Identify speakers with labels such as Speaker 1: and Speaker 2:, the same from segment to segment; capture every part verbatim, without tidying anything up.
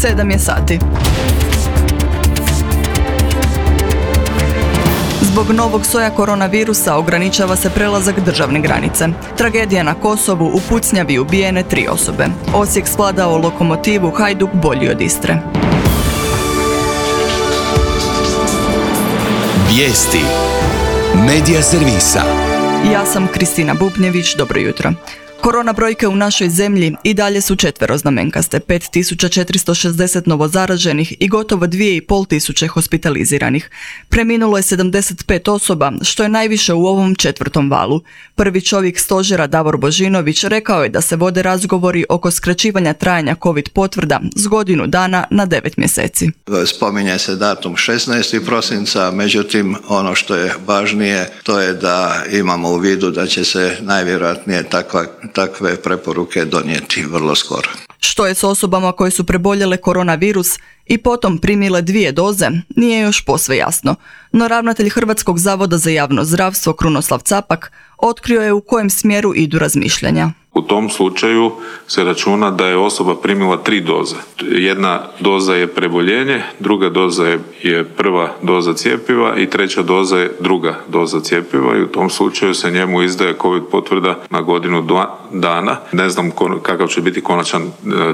Speaker 1: sedam je sati. Zbog novog soja koronavirusa ograničava se prelazak državne granice. Tragedija na Kosovu, u pucnjavi ubijene tri osobe. Osijek svladao Lokomotivu, Hajduk bolji od Istre.
Speaker 2: Vijesti Medija servisa.
Speaker 1: Ja sam Kristina Bubnjević, dobro jutro. Korona brojke u našoj zemlji i dalje su četveroznamenkaste, pet tisuća četiristo šezdeset novozaraženih i gotovo dvije i pol tisuće hospitaliziranih. Preminulo je sedamdeset pet osoba, što je najviše u ovom četvrtom valu. Prvi čovjek stožera Davor Božinović rekao je da se vode razgovori oko skraćivanja trajanja COVID potvrda s godinu dana na devet mjeseci.
Speaker 3: Spominje se datum šesnaestog prosinca, međutim ono što je važnije to je da imamo u vidu da će se najvjerojatnije takva takve preporuke donijeti vrlo skoro.
Speaker 1: Što je s osobama koje su preboljele koronavirus i potom primile dvije doze, nije još posve jasno. No ravnatelj Hrvatskog zavoda za javno zdravstvo Krunoslav Capak otkrio je u kojem smjeru idu razmišljanja.
Speaker 4: U tom slučaju se računa da je osoba primila tri doze. Jedna doza je preboljenje, druga doza je, je prva doza cjepiva i treća doza je druga doza cjepiva i u tom slučaju se njemu izdaje COVID potvrda na godinu dva dana. Ne znam kakav će biti konačan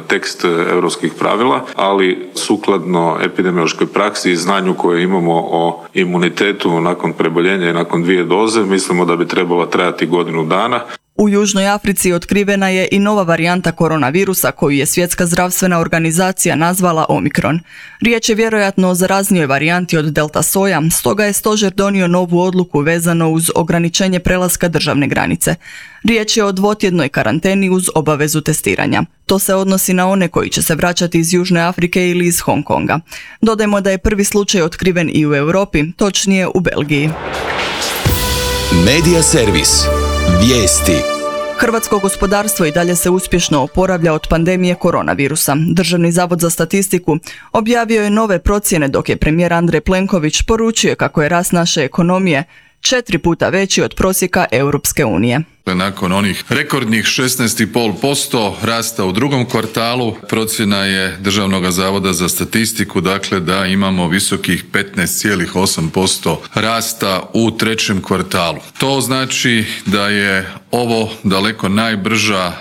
Speaker 4: tekst europskih pravila, ali sukladno epidemiološkoj praksi i znanju koje imamo o imunitetu nakon preboljenja i nakon dvije doze, mislimo da bi trebala trajati godinu dana.
Speaker 1: U Južnoj Africi otkrivena je i nova varijanta koronavirusa koju je Svjetska zdravstvena organizacija nazvala Omikron. Riječ je vjerojatno o zaraznijoj varijanti od delta soja, stoga je stožer donio novu odluku vezano uz ograničenje prelaska državne granice. Riječ je o dvotjednoj karanteni uz obavezu testiranja. To se odnosi na one koji će se vraćati iz Južne Afrike ili iz Hong Konga. Dodajmo da je prvi slučaj otkriven i u Europi, točnije u Belgiji.
Speaker 2: Medija servis. Vijesti.
Speaker 1: Hrvatsko gospodarstvo i dalje se uspješno oporavlja od pandemije koronavirusa. Državni zavod za statistiku objavio je nove procjene dok je premijer Andrej Plenković poručio kako je rast naše ekonomije četiri puta veći od prosjeka Europske unije.
Speaker 5: Nakon onih rekordnih šesnaest zarez pet posto rasta u drugom kvartalu, procjena je Državnog zavoda za statistiku, dakle da imamo visokih petnaest zarez osam posto rasta u trećem kvartalu. To znači da je ovo daleko najbrža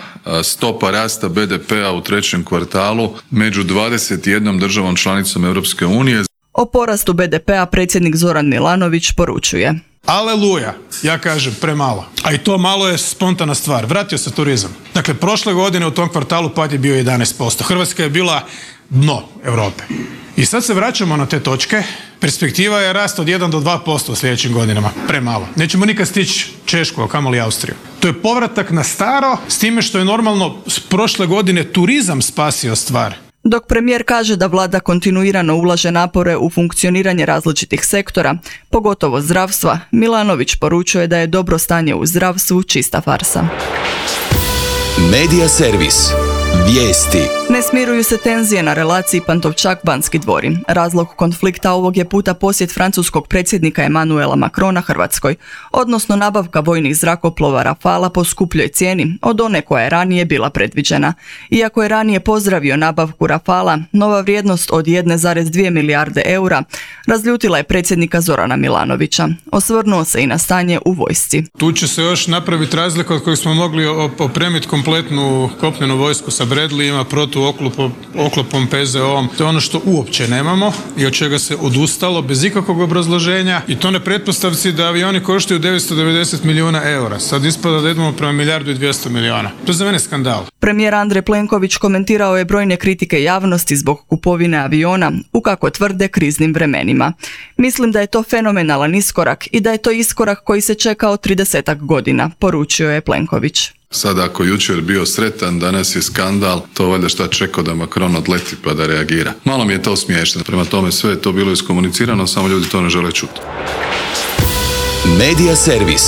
Speaker 5: stopa rasta be de pea u trećem kvartalu među dvadeset jednom državom članicom Europske unije.
Speaker 1: O porastu be de pea predsjednik Zoran Milanović poručuje:
Speaker 6: Aleluja, ja kažem premalo. A i to malo je spontana stvar. Vratio se turizam. Dakle, prošle godine u tom kvartalu pad je bio jedanaest posto. Hrvatska je bila dno Europe. I sad se vraćamo na te točke. Perspektiva je rast od jedan do dva posto u sljedećim godinama. Premalo. Nećemo nikad stići Češku, a kamoli Austriju. To je povratak na staro, s time što je normalno s prošle godine turizam spasio stvar.
Speaker 1: Dok premijer kaže da vlada kontinuirano ulaže napore u funkcioniranje različitih sektora, pogotovo zdravstva, Milanović poručuje da je dobro stanje u zdravstvu čista farsa.
Speaker 2: Medija servis. Vijesti.
Speaker 1: Ne smiruju se tenzije na relaciji Pantovčak-Banski dvori. Razlog konflikta ovog je puta posjet francuskog predsjednika Emmanuela Macrona Hrvatskoj, odnosno nabavka vojnih zrakoplova Rafala po skupljoj cijeni od one koja je ranije bila predviđena. Iako je ranije pozdravio nabavku Rafala, nova vrijednost od jedna zarez dvije milijarde eura razljutila je predsjednika Zorana Milanovića. Osvrnuo se i na stanje u vojsci.
Speaker 6: Tu će se još napraviti razlika od kojeg smo mogli opremiti kompletnu kopnenu vojsku sa Bradleyima, protuoklopom, pe ze o-om. To je ono što uopće nemamo i od čega se odustalo bez ikakvog obrazloženja i to ne pretpostavci da avioni koštaju devetsto devedeset milijuna eura. Sad ispada da idemo prema milijardu i dvjesto milijuna. To je za mene skandal.
Speaker 1: Premijer Andrej Plenković komentirao je brojne kritike javnosti zbog kupovine aviona u, kako tvrde, kriznim vremenima. Mislim da je to fenomenalan iskorak i da je to iskorak koji se čekao tridesetak godina, poručio je Plenković.
Speaker 5: Sad ako jučer bio sretan, danas je skandal, to valjda šta čekao da Macron odleti pa da reagira. Malo mi je to smiješno, prema tome sve je to bilo iskomunicirano, samo ljudi to ne žele čuti.
Speaker 2: Medija servis.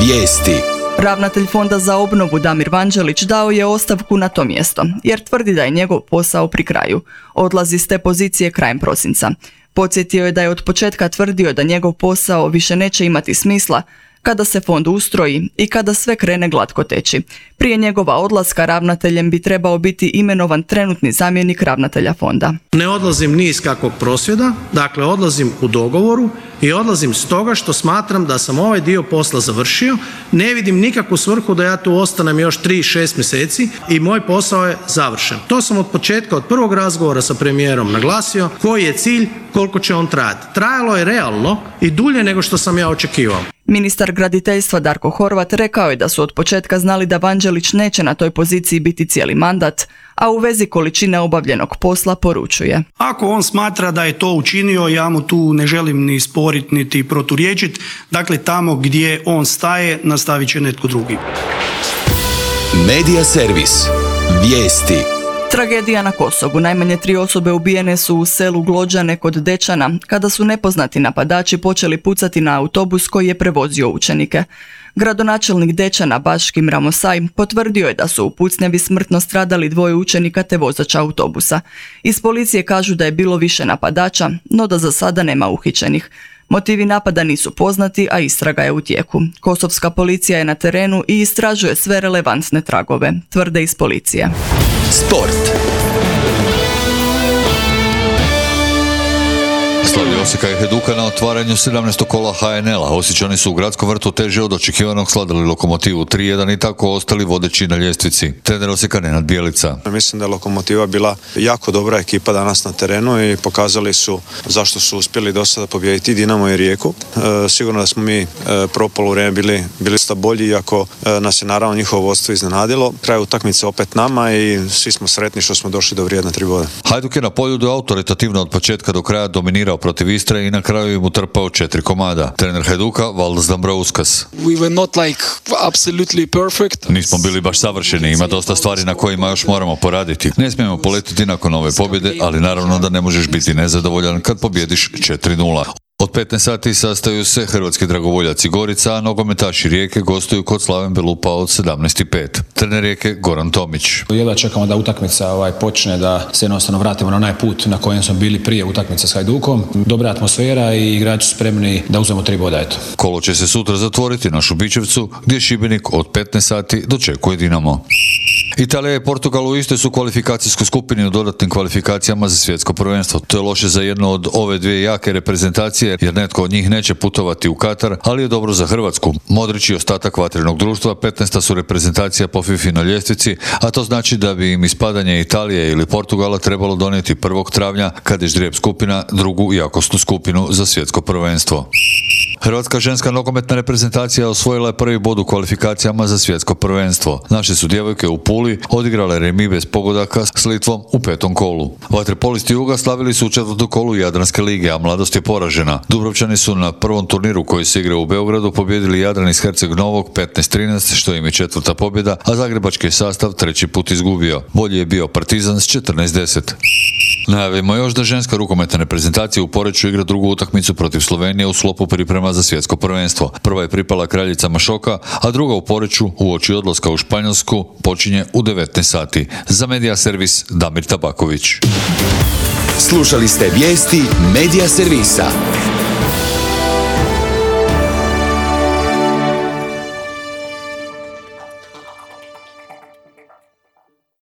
Speaker 2: Vijesti.
Speaker 1: Ravnatelj Fonda za obnovu Damir Vanđelić dao je ostavku na to mjesto, jer tvrdi da je njegov posao pri kraju. Odlazi s te pozicije krajem prosinca. Podsjetio je da je od početka tvrdio da njegov posao više neće imati smisla, kada se fond ustroji i kada sve krene glatko teći. Prije njegova odlaska ravnateljem bi trebao biti imenovan trenutni zamjenik ravnatelja fonda.
Speaker 7: Ne odlazim ni iz kakvog prosvjeda, dakle odlazim u dogovoru i odlazim stoga što smatram da sam ovaj dio posla završio, ne vidim nikakvu svrhu da ja tu ostanem još tri šest mjeseci i moj posao je završen. To sam od početka, od prvog razgovora sa premijerom naglasio, koji je cilj, koliko će on trajati. Trajalo je realno i dulje nego što sam ja očekivao.
Speaker 1: Ministar graditeljstva Darko Horvat rekao je da su od početka znali da Vanđelić neće na toj poziciji biti cijeli mandat, a u vezi količine obavljenog posla poručuje.
Speaker 8: Ako on smatra da je to učinio, ja mu tu ne želim ni sporiti niti proturječiti. Dakle, tamo gdje on staje, nastavit će netko drugi.
Speaker 2: Medija servis. Vijesti.
Speaker 1: Tragedija na Kosovu. Najmanje tri osobe ubijene su u selu Glođane kod Dečana, kada su nepoznati napadači počeli pucati na autobus koji je prevozio učenike. Gradonačelnik Dečana Baškim Ramosaj potvrdio je da su u pucnjavi smrtno stradali dvoje učenika te vozača autobusa. Iz policije kažu da je bilo više napadača, no da za sada nema uhićenih. Motivi napada nisu poznati, a istraga je u tijeku. Kosovska policija je na terenu i istražuje sve relevantne tragove, tvrde iz policije.
Speaker 2: Sport.
Speaker 9: Slavlja Osijeka i Hajduka na otvaranju sedamnaestog kola ha en el-a. Osječani su u gradskom vrtu teže od očekivanog sladali Lokomotivu tri jedan i tako ostali vodeći na ljestvici. Trener Osijeka Nenad Bjelica.
Speaker 10: Mislim da je Lokomotiva bila jako dobra ekipa danas na terenu i pokazali su zašto su uspjeli do sada pobijediti Dinamo i Rijeku. E, sigurno da smo mi e, prvo poluvrijeme bili, bili sta bolji, iako e, nas je naravno njihovo vodstvo iznenadilo. Kraj utakmice opet nama i svi smo sretni što smo došli do vrijedna tri boda.
Speaker 9: Hajduk je na poljudu autoritativno od početka do kraja dominirao protiv Istre i na kraju im utrpao četiri komada. Trener Hajduka Valdas Dambrauskas.
Speaker 11: We were not like absolutely perfect.
Speaker 9: Nismo bili baš savršeni, ima dosta stvari na kojima još moramo poraditi. Ne smijemo poletiti nakon ove pobjede, ali naravno da ne možeš biti nezadovoljan kad pobjediš četiri nula. Od petnaest sati sastaju se hrvatski dragovoljaci Gorica, a nogometaši Rijeke gostuju kod Slaven Belupa od sedamnaest i pet. Trener Rijeke Goran Tomić.
Speaker 12: Jedva čekamo da utakmica ovaj, počne, da se jednostavno vratimo na onaj put na kojem smo bili prije utakmice s Hajdukom. Dobra atmosfera i igrači su spremni da uzmemo tri boda. Eto.
Speaker 9: Kolo će se sutra zatvoriti na Šubićevcu, gdje Šibenik od petnaest sati dočekuje Dinamo. Italija i Portugal u istoj su kvalifikacijskoj skupini u dodatnim kvalifikacijama za svjetsko prvenstvo. To je loše za jednu od ove dvije jake reprezentacije, jer netko od njih neće putovati u Katar, ali je dobro za Hrvatsku. Modrić i ostatak vatrenog društva petnaesta su reprezentacija po FIFA na ljestvici, a to znači da bi im ispadanje Italije ili Portugala trebalo donijeti prvog travnja, kad je ždrijeb skupina drugu jakosnu skupinu za svjetsko prvenstvo. Hrvatska ženska nogometna reprezentacija osvojila je prvi bod u kvalifikacijama za svjetsko prvenstvo. Naše su djevojke u Puli odigrale remi bez pogodaka s Litvom u petom kolu. Vaterpolisti Juga slavili su u četvrtom kolu Jadranske lige, a mladost je poražena. Dubrovčani su na prvom turniru koji se igra u Beogradu pobijedili Jadran iz Herceg Novog petnaest trinaest, što im je četvrta pobjeda, a zagrebački sastav treći put izgubio. Bolji je bio Partizan s četrnaest deset. Najavimo još da ženska rukometna reprezentacija u Poreču igra drugu utakmicu protiv Slovenije u sklopu priprema za svjetsko prvenstvo. Prva je pripala Kraljicama Šoka, a druga u Poreču uoči odlaska u Španjolsku počinje u devetnaest sati. Za Medija servis Damir Tabaković.
Speaker 2: Slušali ste vijesti Medija servisa.